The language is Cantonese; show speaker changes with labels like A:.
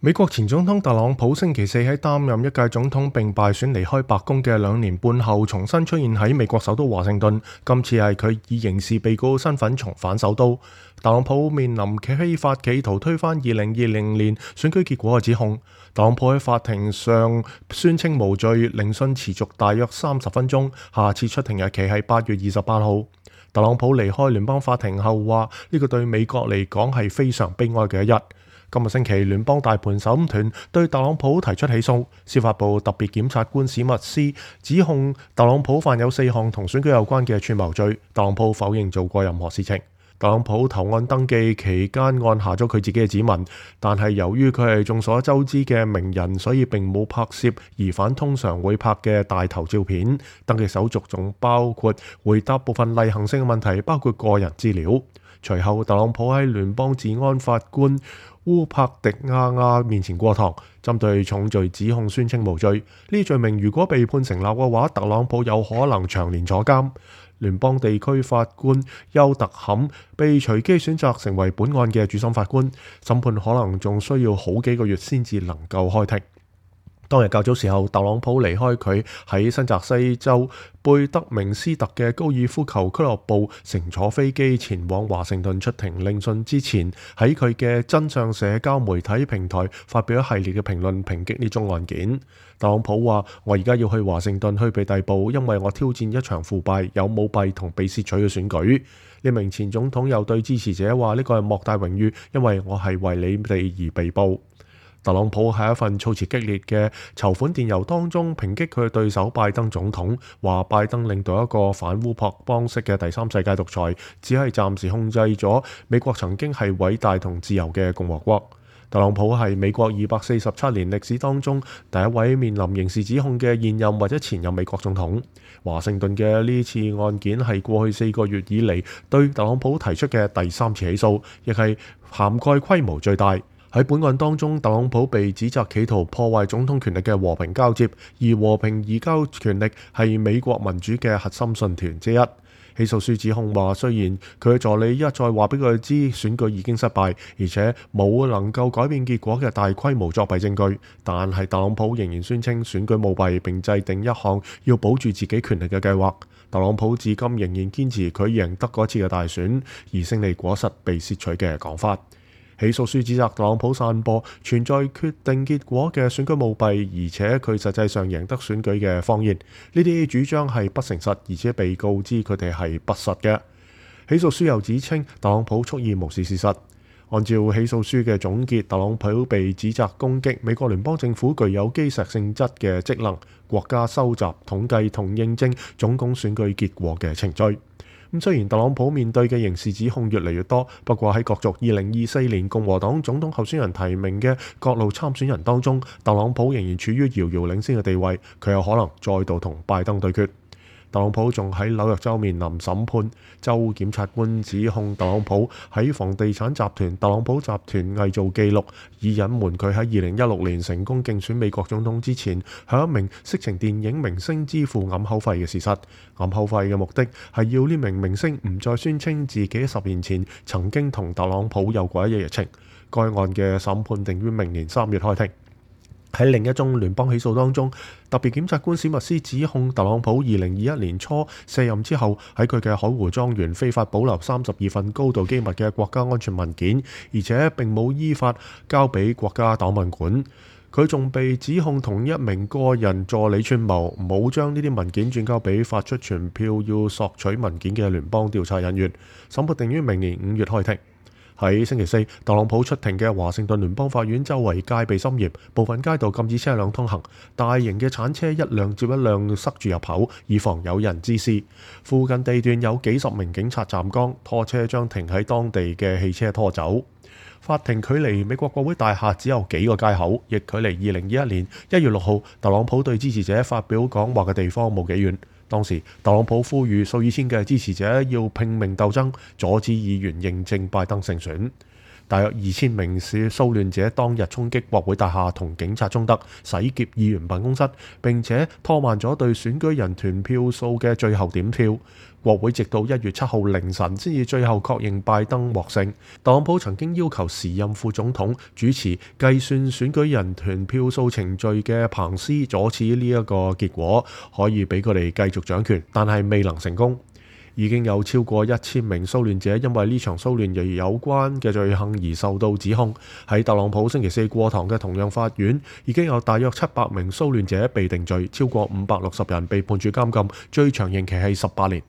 A: 美國前總統特朗普星期四喺擔任一屆總統並敗選離開白宮嘅2年半後，重新出現喺美國首都華盛頓。今次係佢以刑事被告身份重返首都。特朗普面臨非法企圖推翻2020年選舉結果嘅指控。特朗普喺法庭上宣稱無罪，聆訊持續大約30分鐘，下次出庭日期係8月28號。特朗普離開聯邦法庭後話：呢個對美國嚟講係非常悲哀嘅一日。今日星期，聯邦大盤審團對特朗普提出起訴。司法部特別檢察官史密斯指控特朗普犯有4項同選舉有關嘅串謀罪。特朗普否認做過任何事情。特朗普投案登記期間按下咗佢自己嘅指紋，但係由於佢係眾所周知嘅名人，所以並冇拍攝疑犯通常會拍嘅大頭照片。登記手續仲包括回答部分例行性嘅問題，包括個人資料。隨後，特朗普喺聯邦治安法官烏柏迪亞亞面前過堂，針對重罪指控宣稱無罪。呢罪名如果被判成立嘅話，特朗普有可能長年坐監。聯邦地區法官休特坎被隨機選擇成為本案嘅主審法官，審判可能仲需要好幾個月先至能夠開庭。當日較早時候，特朗普離開佢喺新澤西州貝德明斯特嘅高爾夫球俱樂部，乘坐飛機前往華盛頓出庭聆訊之前，喺佢嘅真相社交媒體平台發表一系列嘅評論，抨擊呢宗案件。特朗普話：我而家要去華盛頓去被逮捕，因為我挑戰一場腐敗、有舞弊同被竊取嘅選舉。呢名前總統又對支持者話：呢個係莫大榮譽，因為我係為你哋而被捕。特朗普喺一份措辭激烈嘅籌款電郵當中抨擊佢嘅對手拜登總統，話拜登領導一個反烏托邦式嘅第三世界獨裁，只係暫時控制咗美國曾經係偉大同自由嘅共和國。特朗普係美國247年歷史當中第一位面臨刑事指控嘅現任或者前任美國總統。華盛頓嘅呢次案件係過去4個月以嚟對特朗普提出嘅第3次起訴，亦係涵蓋規模最大。喺本案當中，特朗普被指責企圖破壞總統權力嘅和平交接，而和平移交權力係美國民主嘅核心信條之一。起訴書指控話，雖然佢嘅助理一再話俾佢知選舉已經失敗，而且冇能夠改變結果嘅大規模作弊證據，但係特朗普仍然宣稱選舉舞弊，並制定一項要保住自己權力嘅計劃。特朗普至今仍然堅持佢贏得嗰次嘅大選，而勝利果實被竊取嘅講法。起訴書指責特朗普散播存在決定結果嘅選舉舞弊，而且佢實際上贏得選舉嘅謊言。呢啲主張係不誠實，而且被告知佢哋係不實嘅。起訴書又指稱特朗普蓄意無視事實。按照起訴書嘅總結，特朗普被指責攻擊美國聯邦政府具有基石性質嘅職能、國家收集、統計同認證總統選舉結果嘅程序。雖然特朗普面對嘅刑事指控越嚟越多，不過喺角逐2024年共和黨總統候選人提名嘅各路參選人當中，特朗普仍然處於遙遙領先嘅地位，佢有可能再度同拜登對決。特朗普仲喺紐約州面臨審判，州檢察官指控特朗普喺房地產集團特朗普集團偽造記錄，以隱瞞佢喺2016年成功競選美國總統之前，向一名色情電影明星支付掩口費嘅事實。掩口費嘅目的係要呢名明星唔再宣稱自己10年前曾經同特朗普有過一夜情。該案嘅審判定於明年3月開庭。喺另一宗聯邦起訴當中，特別檢察官史密斯指控特朗普2021年初卸任之後，喺佢嘅海湖莊園非法保留32份高度機密嘅國家安全文件，而且並冇依法交俾國家檔案館。佢仲被指控同一名個人助理串謀，冇將呢啲文件轉交俾發出傳票要索取文件嘅聯邦調查人員。審判定於明年5月開庭。喺星期四，特朗普出庭嘅華盛頓聯邦法院周圍戒備森嚴，部分街道禁止車輛通行，大型嘅鏟車一輛接一輛塞住入口，以防有人滋事。附近地段有幾十名警察站崗，拖車將停喺當地嘅汽車拖走。法庭距離美國國會大廈只有幾個街口，亦距離2021年1月6號特朗普對支持者發表講話嘅地方冇幾遠。當時，特朗普呼籲數以千嘅支持者要拼命鬥爭，阻止議員認證拜登勝選。大約2000名蘇亂者當日衝擊國會大廈同警察衝突，洗劫議員辦公室，並且拖慢咗對選舉人團票數嘅最後點票。國會直到1月7號凌晨先至最後確認拜登獲勝。特朗普曾經要求時任副總統主持計算選舉人團票數程序嘅彭斯阻止呢一個結果，可以俾佢哋繼續掌權，但係未能成功。已經有超過1000名騷亂者因為呢場騷亂而有關嘅罪行而受到指控。喺特朗普星期四過堂嘅同樣法院，已經有大約700名騷亂者被定罪，超過560人被判處監禁，最長刑期係18年。